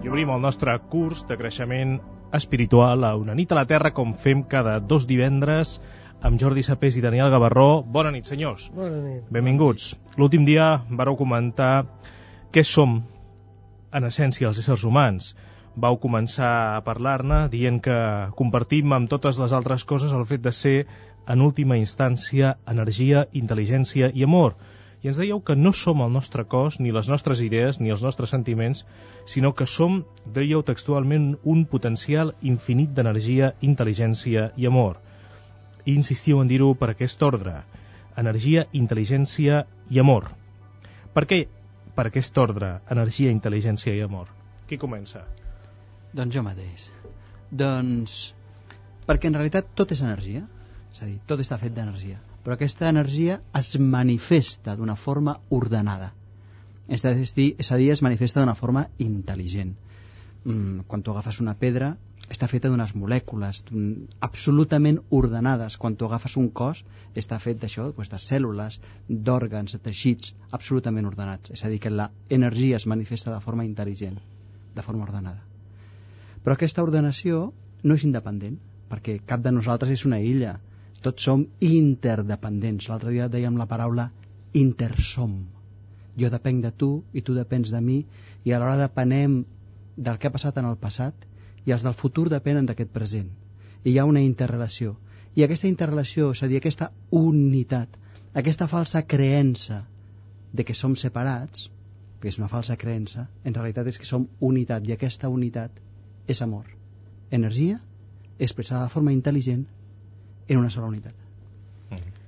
I obrim el nostre curs de creixement espiritual a Una nit a la Terra, com fem cada 2 divendres, amb Jordi Sapés i Daniel Gavarró. Bona nit, senyors. Bona nit. Benvinguts. L'últim dia vareu comentar què som, en essència, els éssers humans. Vau començar a parlar-ne dient que compartim amb totes les altres coses el fet de ser, en última instància, energia, intel·ligència i amor. I ens dèieu que no som el nostre cos, ni les nostres idees, ni els nostres sentiments, sinó que som, dèieu textualment, un potencial infinit d'energia, intel·ligència i amor. I insistiu en dir-ho per aquest ordre: energia, intel·ligència i amor. Per què per aquest ordre, energia, intel·ligència i amor? Qui comença? Doncs jo mateix. Doncs perquè en realitat tot és energia, és a dir, tot està fet d'energia, però aquesta energia es manifesta d'una forma ordenada, és a dir, es manifesta d'una forma intel·ligent. Quan tu agafes una pedra, està feta d'unes molècules absolutament ordenades. Quan tu agafes un cos, està fet d'això, de cèl·lules, d'òrgans, de teixits absolutament ordenats. És a dir, que l'energia es manifesta de forma intel·ligent, de forma ordenada. Però aquesta ordenació no és independent, perquè cap de nosaltres és una illa. Tots som interdependents. L'altre dia dèiem la paraula intersom. Jo depenc de tu i tu depens de mi, i alhora depenem del que ha passat en el passat, i els del futur depenen d'aquest present. I hi ha una interrelació. I aquesta interrelació, és a dir, aquesta unitat, aquesta falsa creença de que som separats, que és una falsa creença, en realitat és que som unitat, i aquesta unitat és amor. Energia expressada de forma intel·ligent en una sola unitat.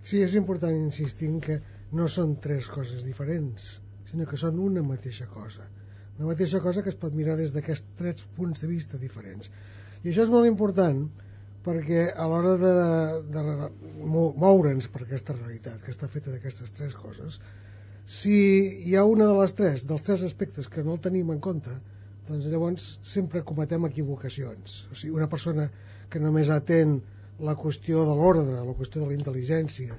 Sí, és important insistir en que no són 3 coses diferents, sinó que són una mateixa cosa. Una mateixa cosa que es pot mirar des d'aquests 3 punts de vista diferents. I això és molt important perquè a l'hora de moure'ns per aquesta realitat, que està feta d'aquestes 3 coses, si hi ha una de les 3, dels 3 aspectes que no el tenim en compte, doncs llavors sempre cometem equivocacions. O sigui, una persona que només atén la qüestió de l'ordre, la qüestió de la intel·ligència,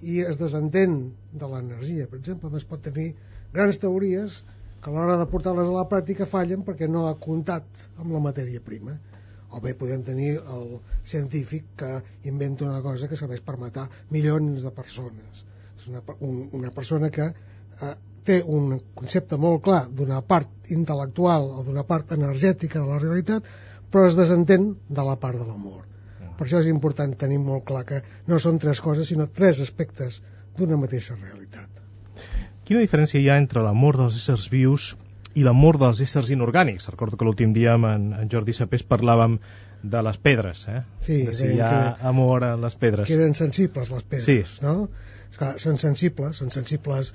i es desentén de l'energia, per exemple, doncs pot tenir grans teories que a l'hora de portar-les a la pràctica fallen perquè no ha comptat amb la matèria prima. O bé podem tenir el científic que inventa una cosa que serveix per matar milions de persones. És una persona que té un concepte molt clar d'una part intel·lectual o d'una part energètica de la realitat, però es desentén de la part de l'amor. Per això és important tenir molt clar que no són 3 coses, sinó 3 aspectes d'una mateixa realitat. Quina diferència hi ha entre l'amor dels éssers vius i l'amor dels éssers inorgànics? Recordo que l'últim dia amb en Jordi Sapés parlàvem de les pedres, Sí, de si hi ha amor a les pedres. Que eren sensibles, les pedres, sí. No? Esclar, són sensibles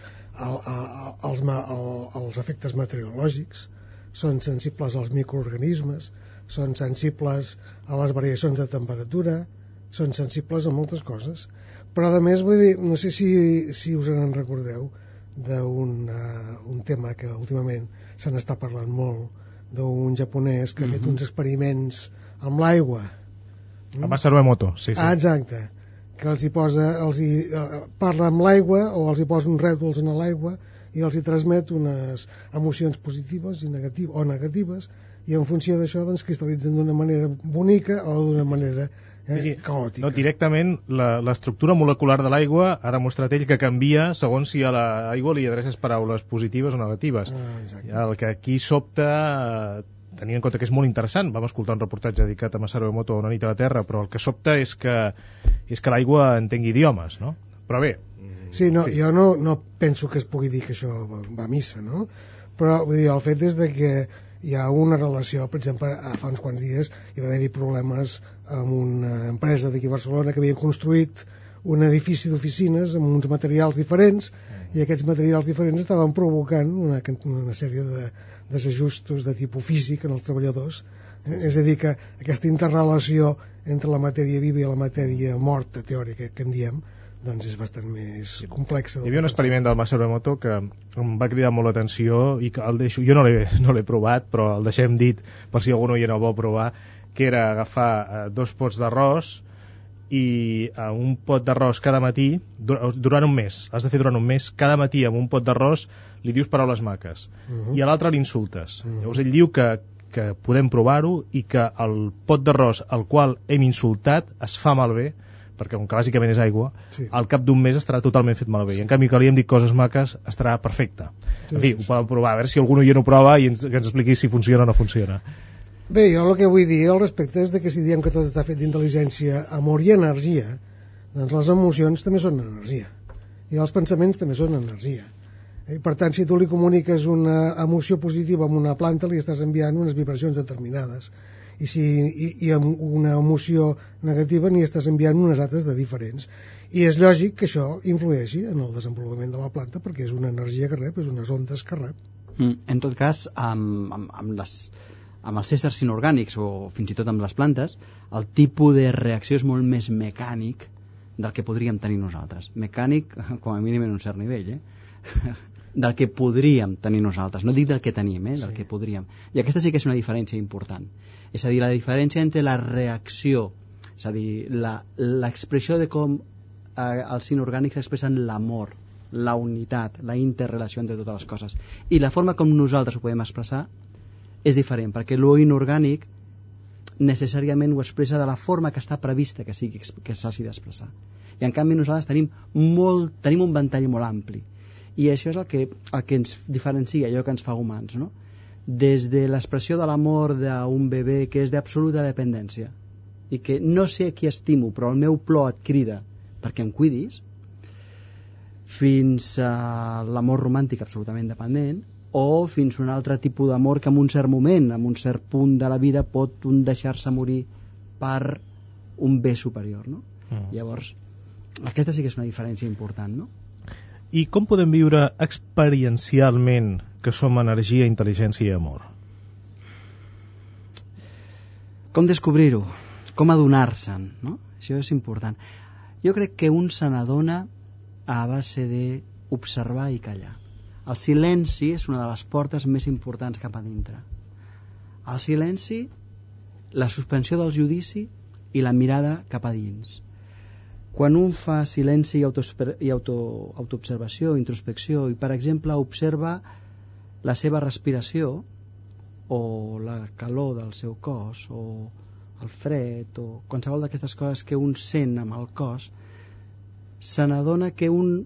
als efectes meteorològics, són sensibles als microorganismes, són sensibles a les variacions de temperatura, són sensibles a moltes coses. Però a més, vull dir, no sé si us en recordeu d'un tema que últimament se n'està parlant molt, d'un japonès que ha fet uns experiments amb l'aigua. A Masaru Emoto, sí. Exacte, que els parla amb l'aigua o els hi posa uns rètols en l'aigua i els hi transmet unes emocions positives o negatives, i en funció d'això doncs cristal·litzen d'una manera bonica o d'una manera caòtica. No, directament l'estructura molecular de l'aigua ha demostrat ell que canvia segons si a l'aigua li adreces paraules positives o negatives. El que aquí sobta, tenint en compte que és molt interessant, vam escoltar un reportatge dedicat a Masaru Emoto a Una nit a la Terra, però el que sobta és que l'aigua entengui idiomes, no? Però bé... Sí, no, sí. Jo no penso que es pugui dir que això va a missa, no? Però vull dir, el fet és que hi ha una relació, per exemple, fa uns quants dies hi va haver-hi problemes amb una empresa d'aquí a Barcelona que havia construït un edifici d'oficines amb uns materials diferents, i aquests materials diferents estaven provocant una sèrie de desajustos de tipus físic en els treballadors. És a dir, que aquesta interrelació entre la matèria viva i la matèria morta teòrica que en diem, doncs és bastant més complexa. Hi havia un experiment del Masaru Emoto que em va cridar molt l'atenció i que el deixo, jo no l'he provat, però el deixem dit per si algú no hi era el vol provar, que era agafar 2 pots d'arròs i un pot d'arròs cada matí, durant un mes, has de fer durant un mes, cada matí amb un pot d'arròs li dius paraules maques, i a l'altre l'insultes. Llavors ell diu que que podem provar-ho i que el pot d'arròs al qual hem insultat es fa malbé, perquè com que bàsicament és aigua, al cap d'un mes estarà totalment fet malbé, i en canvi que li hem dit coses maques estarà perfecte. En fi, ho podem provar, a veure si algú ja no ho prova i que ens expliqui si funciona o no funciona. Bé, jo el que vull dir al respecte és que si diem que tot està fet d'intel·ligència, amor i energia, doncs les emocions també són energia i els pensaments també són energia. Per tant, si tu li comuniques una emoció positiva a una planta, li estàs enviant unes vibracions determinades, i amb una emoció negativa n'hi estàs enviant unes altres de diferents, i és lògic que això influeixi en el desenvolupament de la planta perquè és una energia que rep, és unes ondes que rep. En tot cas, amb els éssers inorgànics o fins i tot amb les plantes, el tipus de reacció és molt més mecànic del que podríem tenir nosaltres. Mecànic, com a mínim en un cert nivell, del que podríem tenir nosaltres, no dic del que tenim, del que podríem. I aquesta sí que és una diferència important. És a dir, la diferència entre la reacció, és a dir, l'expressió de com els inorgànics expressen l'amor, la unitat, la interrelació entre totes les coses, i la forma com nosaltres ho podem expressar és diferent, perquè lo inorgànic necessàriament ho expressa de la forma que està prevista que s'hagi d'expressar. I en canvi nosaltres tenim un ventall molt ampli. I això és el que ens diferencia, allò que ens fa humans, no? Des de l'expressió de l'amor d'un bebè que és d'absoluta dependència i que no sé qui estimo però el meu plor et crida perquè em cuidis, fins a l'amor romàntic absolutament dependent, o fins a un altre tipus d'amor que en un cert moment, en un cert punt de la vida pot deixar-se morir per un bé superior, no? Llavors, aquesta sí que és una diferència important, no? I com podem viure experiencialment que som energia, intel·ligència i amor? Com descobrir-ho? Com adonar-se'n, no? Això és important. Jo crec que un se n'adona a base d'observar i callar. El silenci és una de les portes més importants cap a dintre. El silenci, la suspensió del judici i la mirada cap a dins. Quan un fa silenci i autoobservació, introspecció, i per exemple observa la seva respiració o la calor del seu cos o el fred o qualsevol d'aquestes coses que un sent amb el cos, se n'adona que un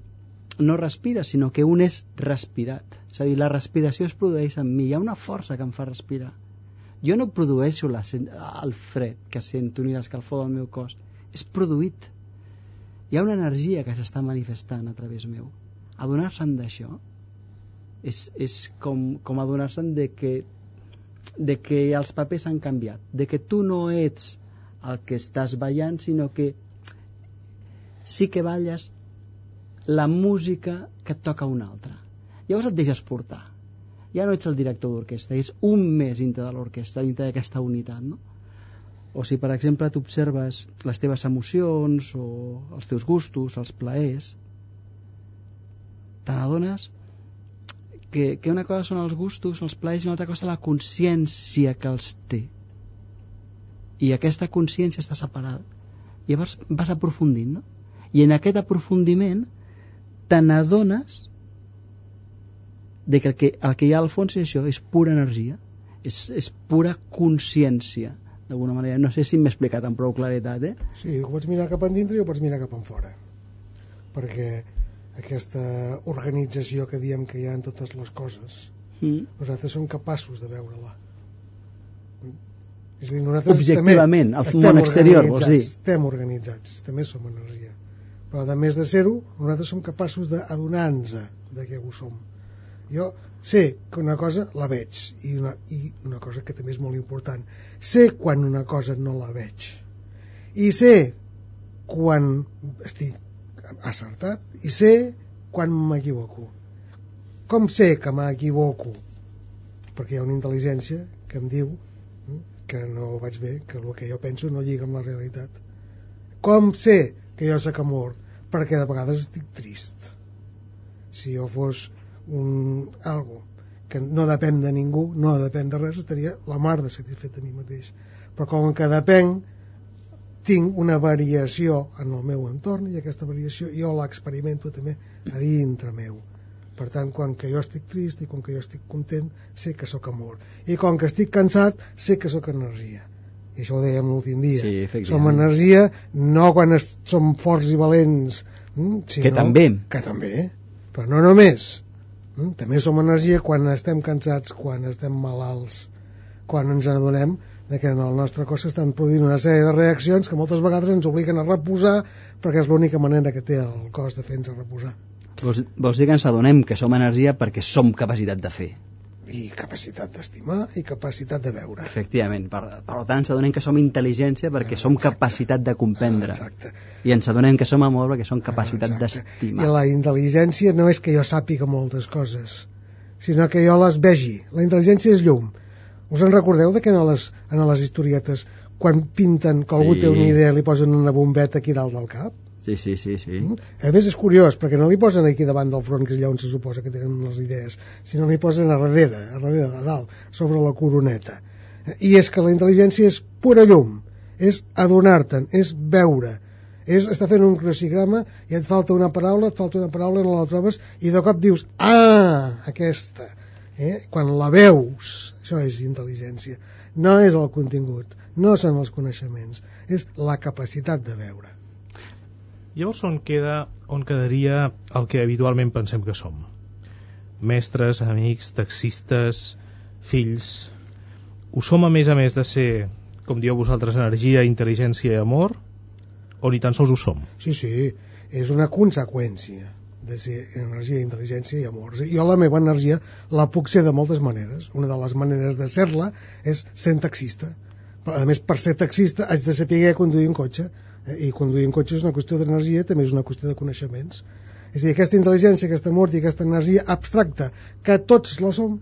no respira, sinó que un és respirat. És a dir, la respiració es produeix en mi, hi ha una força que em fa respirar. Jo no produeixo el fred que sento ni l'escalfor del meu cos, és produït. Hi ha una energia que s'està manifestant a través meu. Adonar-se'n d'això és com adonar-se'n de que els papers han canviat, de que tu no ets el que estàs ballant, sinó que sí que balles la música que et toca una altra. Llavors et deixes portar. Ja no ets el director d'orquestra, és un més dintre de l'orquestra, dintre d'aquesta unitat, no? O si, per exemple, t'observes les teves emocions o els teus gustos, els plaers, te n'adones que una cosa són els gustos, els plaers, i una altra cosa la consciència que els té. I aquesta consciència està separada. Llavors vas aprofundint, no? I en aquest aprofundiment te n'adones que el que hi ha al fons és això, és pura energia, és pura consciència. D'alguna manera, no sé si m'he explicat amb prou claretat, Sí, ho pots mirar cap endintre i ho pots mirar cap enfora, perquè aquesta organització que diem que hi ha en totes les coses, nosaltres som capaços de veure-la. És a dir, nosaltres objectivament, al món exterior, vols dir? Estem organitzats, també som energia, però a més de ser-ho, nosaltres som capaços d'adonar-nos de què ho som. Jo sé que una cosa la veig i una cosa que també és molt important, sé quan una cosa no la veig i sé quan estic acertat i sé quan m'equivoco. Com sé que m'equivoco? Perquè hi ha una intel·ligència que em diu que no vaig bé, que el que jo penso no lliga amb la realitat. Com sé que jo soc amor? Perquè de vegades estic trist. Si jo fos algo que no depèn de ningú, no depèn de res, estaria la mar de satisfet de mi mateix. Però com que depèn, tinc una variació en el meu entorn i aquesta variació jo l'experimento també a dintre meu. Per tant, quan que jo estic trist i quan que jo estic content, sé que sóc amor. I quan que estic cansat, sé que sóc energia. I això ho dèiem l'últim dia. Sí, som energia no quan som forts i valents, sinó que també, però no només. També som energia quan estem cansats, quan estem malalts, quan ens adonem que en el nostre cos s'estan produint una sèrie de reaccions que moltes vegades ens obliguen a reposar, perquè és l'única manera que té el cos de fer-nos reposar. Vols dir que ens adonem que som energia perquè som capacitat de fer? I capacitat d'estimar i capacitat de veure. Efectivament, per tant ens adonem que som intel·ligència perquè som capacitat de comprendre. Exacte. I ens adonem que som amor perquè som capacitat d'estimar. I la intel·ligència no és que jo sàpiga moltes coses, sinó que jo les vegi. La intel·ligència és llum. Us en recordeu que en les historietes, quan pinten que algú té una idea, li posen una bombeta aquí dalt del cap? Sí. A més és curiós, perquè no li posen aquí davant del front, que és allà on se suposa que tenen les idees, sinó li posen a darrere de dalt, sobre la coroneta. I és que la intel·ligència és pura llum, és adonar-te'n, és veure, és estar fent un crucigrama i et falta una paraula, no la trobes, i de cop dius, aquesta. Quan la veus, això és intel·ligència. No és el contingut, no són els coneixements, és la capacitat de veure. Llavors on quedaria el que habitualment pensem que som? Mestres, amics, taxistes, fills. Ho som a més de ser, com dieu vosaltres, energia, intel·ligència i amor? O ni tan sols ho som? Sí, és una conseqüència de ser energia, intel·ligència i amor. Jo la meva energia la puc ser de moltes maneres. Una de les maneres de ser-la és sent taxista. Però, a més, per ser taxista haig de saber conduir un cotxe. I conduir un cotxe és una qüestió d'energia, també és una qüestió de coneixements. És a dir, aquesta intel·ligència, aquest amor i aquesta energia abstracta, que tots la som,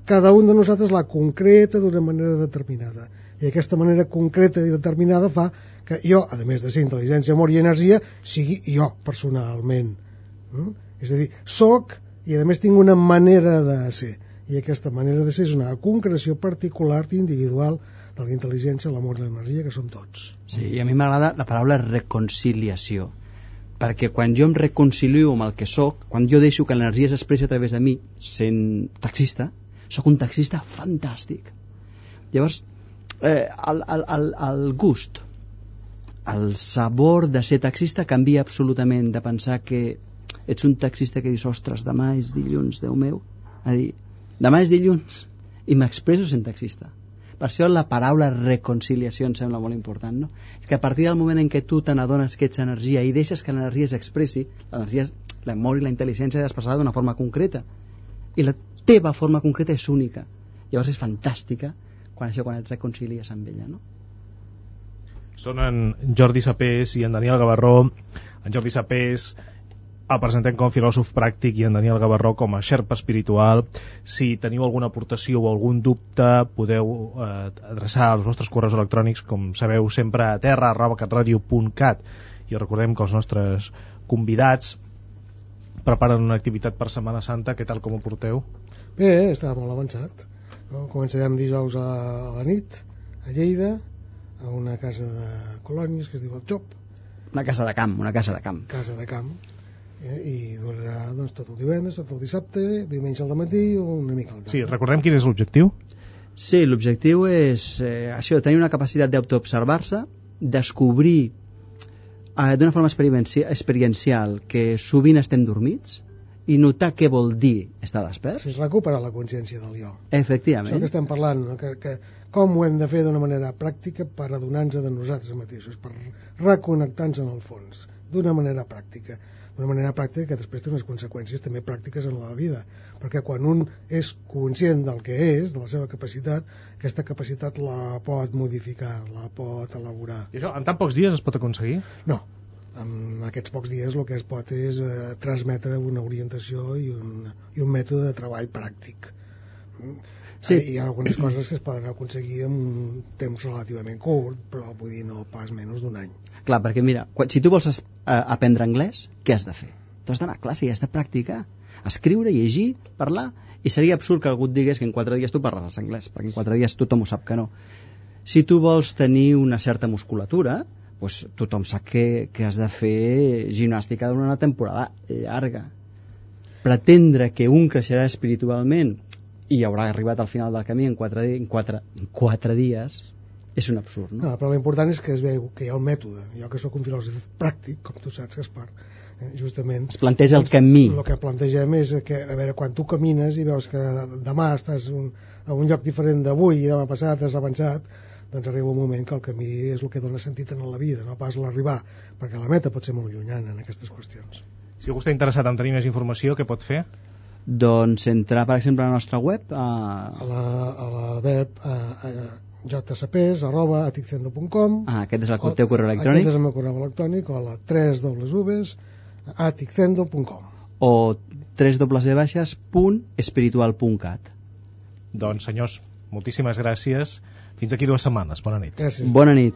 cada un de nosaltres la concreta d'una manera determinada. I aquesta manera concreta i determinada fa que jo, a més de ser intel·ligència, amor i energia, sigui jo personalment. És a dir, soc i a més tinc una manera de ser. I aquesta manera de ser és una concreció particular i individual de la intel·ligència, l'amor i l'energia, que som tots. Sí, i a mi m'agrada la paraula reconciliació, perquè quan jo em reconcilio amb el que sóc, quan jo deixo que l'energia s'expressi a través de mi, sent taxista, sóc un taxista fantàstic. Llavors, el gust, el sabor de ser taxista canvia absolutament, de pensar que ets un taxista que dius, ostres, demà és dilluns, Déu meu, a dir, demà és dilluns i m'expresso sent taxista. Per això la paraula reconciliació em sembla molt important, no? És que a partir del moment en què tu te n'adones que ets energia i deixes que l'energia s'expressi, l'energia, l'amor i la intel·ligència ha d'expressar d'una forma concreta, i la teva forma concreta és única. Llavors és fantàstica quan et reconcilies amb ella, no? Són en Jordi Sapés i en Daniel Gavarró. En Jordi Sapés el presentem com a filòsof pràctic i en Daniel Gavarró com a xerpa espiritual. Si teniu alguna aportació o algun dubte, podeu adreçar els vostres correus electrònics, com sabeu, sempre a terra@catradio.cat. I recordem que els nostres convidats preparen una activitat per Setmana Santa. Què tal, com ho porteu? Bé, està molt avançat. Començarem dijous a la nit a Lleida, a una casa de colònies que es diu El Xop. Una casa de camp. Casa de camp. I durarà tot el divendres, tot el dissabte, diumenge al matí o una mica al tarda. Sí, recordem quin és l'objectiu? Sí, l'objectiu és això, tenir una capacitat d'autoobservar-se, descobrir d'una forma experiencial que sovint estem dormits i notar què vol dir estar desperts. És recuperar la consciència del jo. Efectivament. Això que estem parlant, no? que com ho hem de fer d'una manera pràctica per adonar-nos de nosaltres mateixos, per reconnectar-nos en el fons, d'una manera pràctica. D'una manera pràctica que després té unes conseqüències també pràctiques en la vida, perquè quan un és conscient del que és, de la seva capacitat, aquesta capacitat la pot modificar, la pot elaborar. I això en tan pocs dies es pot aconseguir? No, en aquests pocs dies el que es pot és transmetre una orientació i un mètode de treball pràctic. Sí. Hi ha algunes coses que es poden aconseguir en un temps relativament curt, però vull dir no pas menys d'un any. Clar, perquè mira, si tu vols aprendre anglès, què has de fer? Tu has d'anar a classe i has de practicar, escriure, llegir, parlar, i seria absurd que algú et digués que en 4 dies tu parlaràs anglès, perquè en 4 dies tothom ho sap que no. Si tu vols tenir una certa musculatura, doncs tothom sap que has de fer gimnàstica durant una temporada llarga. pretendre que un creixerà espiritualment i haurà arribat al final del camí en 4 dies és un absurd, no? No, però l'important és que es veu que hi ha un mètode. Jo que sóc un filòsof pràctic, com tu saps, Gaspar, justament... Es planteja el camí. El que plantegem és que, a veure, quan tu camines i veus que demà estàs a un lloc diferent d'avui i demà passat has avançat, doncs arriba un moment que el camí és el que dona sentit en la vida, no pas l'arribar, perquè la meta pot ser molt llunyana en aquestes qüestions. Si algú està interessat en tenir més informació, què pot fer? Doncs entrar, per exemple, a la nostra web A la web jcps@aticendo.com. Aquest és el teu correu electrònic. Aquest és el meu correu electrònic, o a la www.aticendo.com o www.espiritual.cat. Doncs, senyors, moltíssimes gràcies. Fins aquí 2 setmanes. Bona nit. Gràcies. Bona nit.